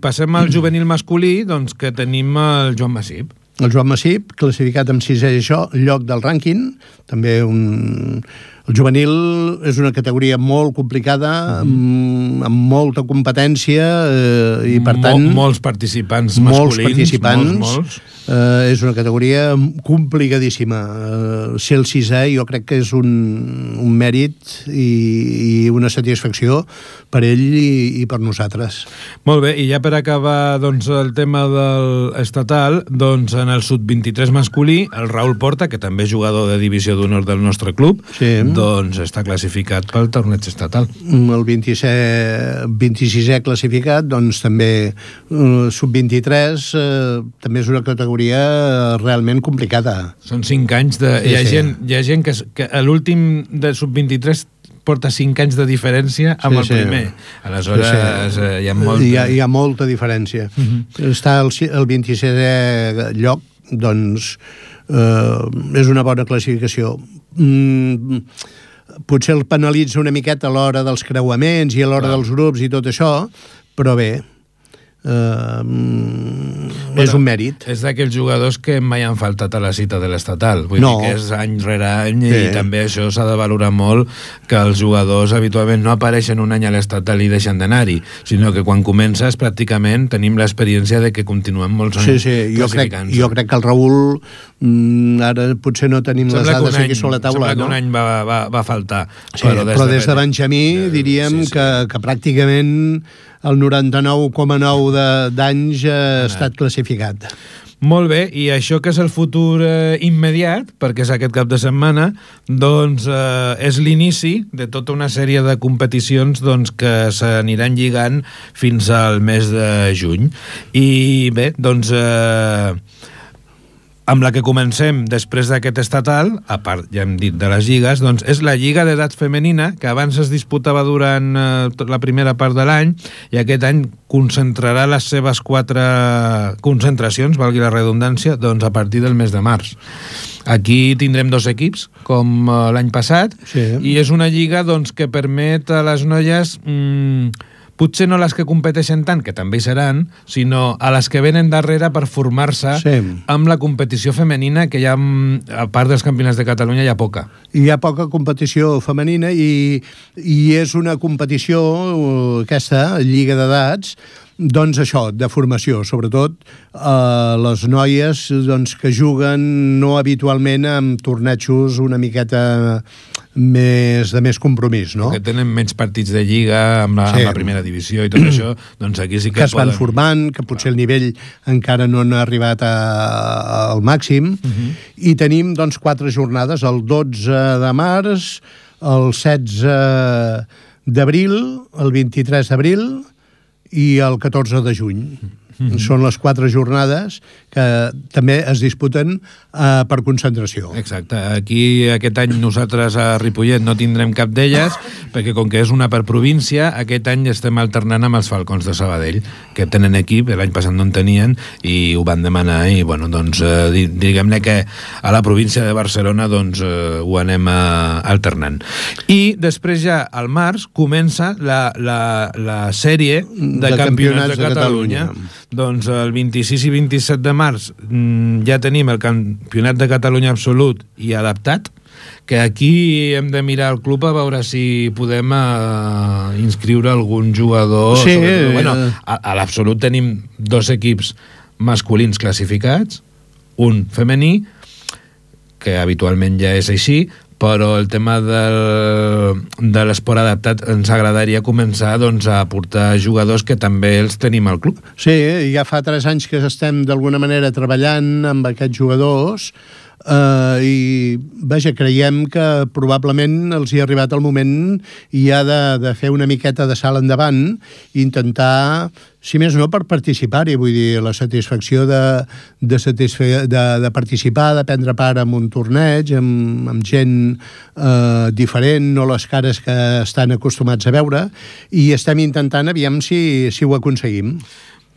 passem al juvenil masculí, doncs que tenim el Joan Massip. El Joan Massip, classificat amb sisè lloc del rànquing, també un... El juvenil és una categoria molt complicada, mm. amb, amb molta competència eh, i, per tant... Mol, molts participants masculins. Molts participants. Molts, molts. Eh, és una categoria complicadíssima. Eh, ser el sisè jo crec que és un, un mèrit i, i una satisfacció per ell i, i per nosaltres. Molt bé, i ja per acabar doncs, el tema del estatal, doncs en el sub vint-i-tres masculí, el Raül Porta, que també és jugador de divisió d'honor del nostre club, sí. doncs està classificat pel torneig estatal. El vint-i-sisè classificat, doncs també eh, sub vint-i-tres, eh, també és una categoria realment complicada. Són cinc anys de... Sí, hi ha sí. gent, hi ha gent que, que a l'últim de sub vint-i-tres porta cinc anys de diferència amb sí, el primer. Sí. Aleshores, sí, sí. hi ha molta... Hi ha, hi ha molta diferència. Uh-huh. Està el, el vint-i-setè lloc, doncs, eh, és una bona classificació. Mm, potser el penalitza una miqueta a l'hora dels creuaments i a l'hora dels grups i tot això, però bé, Uh, bueno, és un mèrit. És d'aquells jugadors que mai han faltat a la cita de l'estatal. Vull no. dir que és any rere any sí. i també això s'ha de valorar molt, que els jugadors habitualment no apareixen un any a l'estatal i deixen d'anar-hi, sinó que quan comences pràcticament tenim l'experiència de que continuem molts anys sí, sí. Jo crec, jo crec que el Raül mm, ara potser no tenim sembla les dades any, aquí sobre la taula. Sembla no? que un any va, va, va faltar. Sí, però des, però de, des de Benjamí de, diríem sí, sí. Que, que pràcticament el noranta-nou coma nou d'anys ha estat classificat. Molt bé, i això que és el futur eh, immediat, perquè és aquest cap de setmana, doncs eh, és l'inici de tota una sèrie de competicions doncs, que s'aniran lligant fins al mes de juny. I bé, doncs... Eh, amb la que comencem després d'aquest estatal, a part, ja hem dit, de les lligues, doncs és la Lliga d'Edat Femenina, que abans es disputava durant eh, la primera part de l'any, i aquest any concentrarà les seves quatre concentracions, valgui la redundància, doncs a partir del mes de març. Aquí tindrem dos equips, com eh, l'any passat, sí. I és una lliga doncs, que permet a les noies... Mm, potser no les que competeixen tant, que també hi seran, sinó a les que venen darrere per formar-se sí. amb la competició femenina, que hi ha, a part dels campionats de Catalunya, hi ha poca. Hi ha poca competició femenina i, i és una competició, aquesta, Lliga d'Edats, doncs això, de formació, sobretot eh, les noies doncs, que juguen no habitualment amb tornejos una miqueta més de més compromís, no? Que tenen menys partits de lliga amb la, sí. amb la primera divisió i tot això, doncs aquí sí que, que es poden... van formant, que potser el nivell encara no han arribat a, a, al màxim, uh-huh. I tenim doncs quatre jornades, el dotze de març, el setze d'abril, el vint-i-tres d'abril, i el catorze de juny. Mm-hmm. Són les quatre jornades que també es disputen eh, per concentració. Exacte. Aquí aquest any nosaltres a Ripollet no tindrem cap d'elles, perquè com que és una per província, aquest any estem alternant amb els Falcons de Sabadell, que tenen equip, l'any passat no en tenien, i ho van demanar, i bueno, doncs eh, diguem-ne que a la província de Barcelona doncs eh, ho anem eh, alternant. I després ja al març comença la, la, la sèrie de, de campionats, campionats de, de Catalunya. Catalunya. Doncs el vint-i-sis i vint-i-set de març ja tenim el Campionat de Catalunya absolut i adaptat, que aquí hem de mirar el club a veure si podem uh, inscriure algun jugador. Sí. Sobre, bueno, a, a l'absolut tenim dos equips masculins classificats, un femení, que habitualment ja és així, però el tema del, de l'esport adaptat ens agradaria començar doncs, a portar jugadors que també els tenim al club. Sí, ja fa tres anys que estem d'alguna manera treballant amb aquests jugadors eh, i vaja, creiem que probablement els hi ha arribat el moment ja de, de fer una miqueta de salt endavant i intentar, si més no, per participar-hi, vull dir, la satisfacció de, de, satisfe de, de participar, de prendre part en un torneig, amb, amb gent eh, diferent, no les cares que estan acostumats a veure, i estem intentant, aviam si, si ho aconseguim.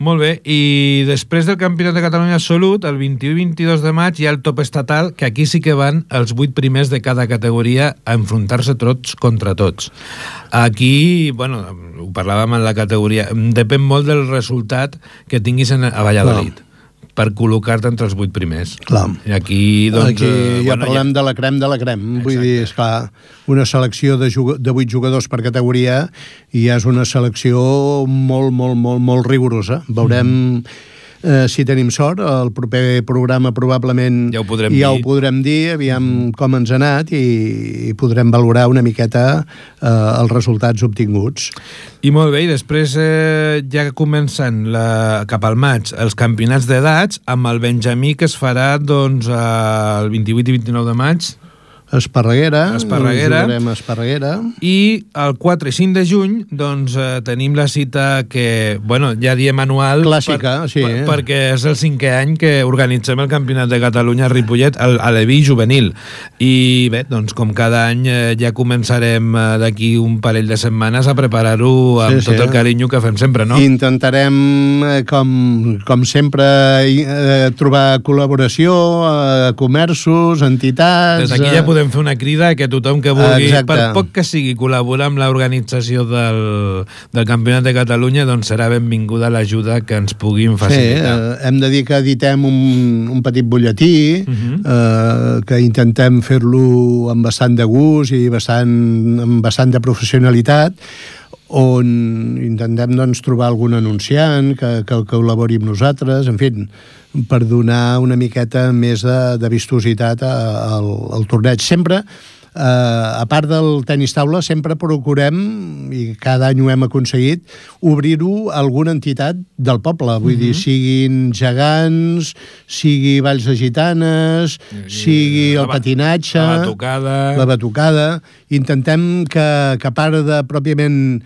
Molt bé, i després del Campionat de Catalunya absolut, el vint-i-u i vint-i-dos de maig hi ha el top estatal, que aquí sí que van els vuit primers de cada categoria a enfrontar-se tots contra tots. Aquí, bueno, ho parlàvem en la categoria, depèn molt del resultat que tinguis a Valladolid. No. Per col·locar-te entre els vuit primers. Clar. I aquí, doncs... Aquí ja bueno, parlem ja... de la crem de la crem. Exacte. Vull dir, esclar, una selecció de, de vuit jugadors per categoria i ja és una selecció molt, molt, molt, molt rigorosa. Veurem... Mm. Eh, si tenim sort, el proper programa probablement ja ho podrem, ja dir. Ho podrem dir, aviam mm. com ens ha anat i, i podrem valorar una miqueta eh, els resultats obtinguts. I molt bé, i després eh, ja comencen la, cap al maig els campionats d'edats amb el Benjamí, que es farà doncs, el vint-i-vuit i vint-i-nou de maig. Esparreguera, Esparreguera. Jugarem a Esparreguera. I el quatre i cinc de juny doncs, eh, tenim la cita que, bueno, ja diem anual. Clàssica, per, sí. Per, perquè és el cinquè any que organitzem el Campionat de Catalunya a Ripollet, el, a l'E V I juvenil. I bé, doncs com cada any eh, ja començarem eh, d'aquí un parell de setmanes a preparar-ho amb sí, tot sí. el carinyo que fem sempre, no? Intentarem, eh, com, com sempre, eh, trobar col·laboració, eh, comerços, entitats... Des d'aquí ja podem fer una crida que tothom que vulgui, exacte. Per poc que sigui, col·laborar amb l'organització del, del Campionat de Catalunya, doncs serà benvinguda l'ajuda que ens puguin facilitar. Sí, eh, hem de dir que editem un, un petit butlletí, uh-huh. eh, que intentem fer-lo amb bastant de gust i bastant, amb bastant de professionalitat, on intentem doncs, trobar algun anunciant que, que, que col·labori amb nosaltres, en fi, per donar una miqueta més de, de vistositat al, al torneig. Sempre, eh, a part del tenis taula, sempre procurem, i cada any ho hem aconseguit, obrir-ho a alguna entitat del poble. Vull uh-huh. dir, siguin gegants, sigui valls de gitanes, sigui el la, patinatge... La batucada... La batucada. Intentem que, que a part de pròpiament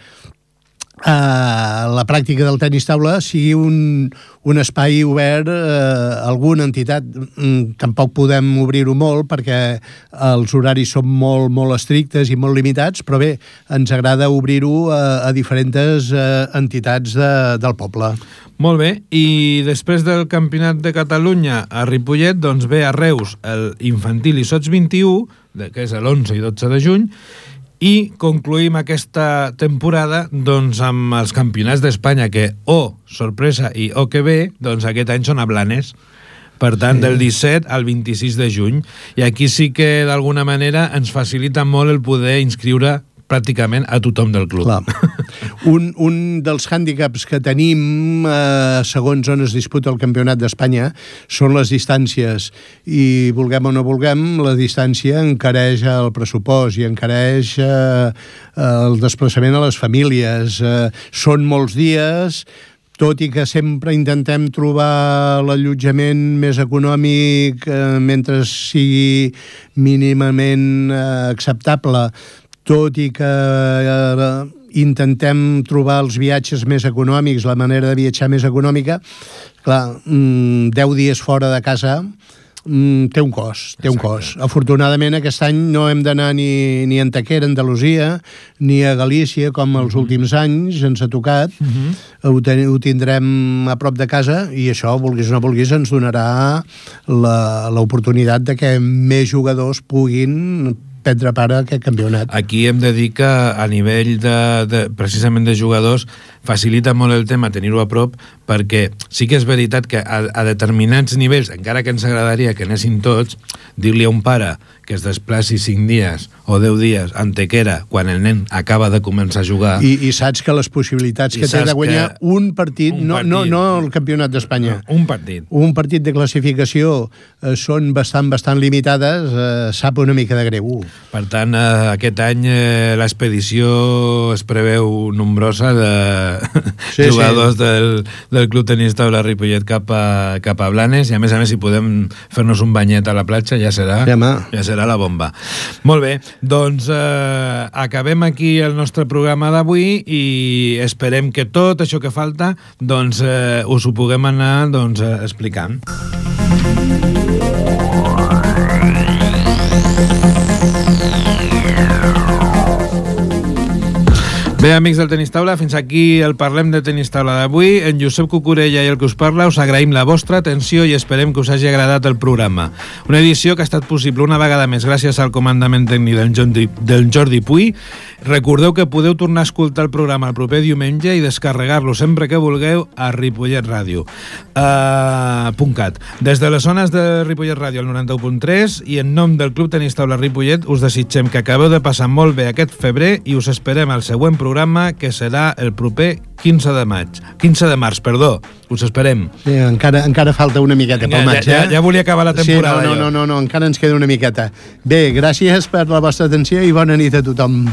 Uh, la pràctica del tenis taula sigui un, un espai obert a uh, alguna entitat. Mm, tampoc podem obrir-ho molt perquè els horaris són molt, molt estrictes i molt limitats, però bé, ens agrada obrir-ho a, a diferents uh, entitats de, del poble. Molt bé, i després del Campionat de Catalunya a Ripollet, doncs ve a Reus el infantil i sots vint-i-u, que és l'onze i dotze de juny, i concluïm aquesta temporada doncs, amb els campionats d'Espanya que, oh, sorpresa, i oh, que bé, doncs aquest any són a Blanes. Per tant, sí. del disset al vint-i-sis de juny. I aquí sí que, d'alguna manera, ens facilita molt el poder inscriure pràcticament a tothom del club. Clar. Un, un dels hàndicaps que tenim, eh, segons on es disputa el Campionat d'Espanya, són les distàncies. I, vulguem o no vulguem, la distància encareix el pressupost i encareix eh, el desplaçament a les famílies. Eh, són molts dies, tot i que sempre intentem trobar l'allotjament més econòmic eh, mentre sigui mínimament eh, acceptable, tot i que eh, intentem trobar els viatges més econòmics, la manera de viatjar més econòmica. Clar, deu dies fora de casa mm, té un cost, té un cost. Afortunadament aquest any no hem d'anar ni, ni a Antequera, Andalusia, ni a Galícia, com els últims anys ens ha tocat. Uh-huh. ho, ten, ho tindrem a prop de casa i això, vulguis o no vulguis, ens donarà l'oportunitat de que més jugadors puguin prendre part a aquest campionat. Aquí hem de dir que a nivell de, de, precisament de jugadors facilita molt el tema tenir-ho a prop, perquè sí que és veritat que a, a determinats nivells, encara que ens agradaria que anessin tots, dir-li a un pare que es desplaci cinc dies o deu dies a Antequera quan el nen acaba de començar a jugar... I, i saps que les possibilitats que té de guanyar un partit, un no, partit, no, no el campionat d'Espanya, no, un partit. Un partit de classificació eh, són bastant, bastant limitades, eh, sap una mica de greu. Per tant, eh, aquest any eh, l'expedició es preveu nombrosa de sí, jugadors sí. Del, del Club Tenis Taula Ripollet cap a, cap a Blanes, i a més a més si podem fer-nos un banyet a la platja ja serà, ja, ja serà la bomba. Molt bé, doncs eh, acabem aquí el nostre programa d'avui i esperem que tot això que falta doncs eh, us ho puguem anar doncs, eh, explicant. Bé, amics del Tenis Taula, fins aquí el Parlem de Tenis Taula d'avui. En Josep Cucurella i el que us parla us agraïm la vostra atenció i esperem que us hagi agradat el programa. Una edició que ha estat possible una vegada més gràcies al comandament tècnic del Jordi, del Jordi Puy. Recordeu que podeu tornar a escoltar el programa el proper diumenge i descarregar-lo sempre que vulgueu a Ripollet Ràdio. Uh, .cat. Des de les zones de Ripollet Ràdio al noranta-u punt tres i en nom del Club Tenis Taula Ripollet us desitgem que acabeu de passar molt bé aquest febrer i us esperem al següent programa que serà el proper quinze de maig. quinze de març, perdó. Us esperem. Sí, encara, encara falta una miqueta pel maig, ja, ja, ja volia acabar la temporada. Sí, no, no, no, no, encara ens queda una miqueta. Bé, gràcies per la vostra atenció i bona nit a tothom.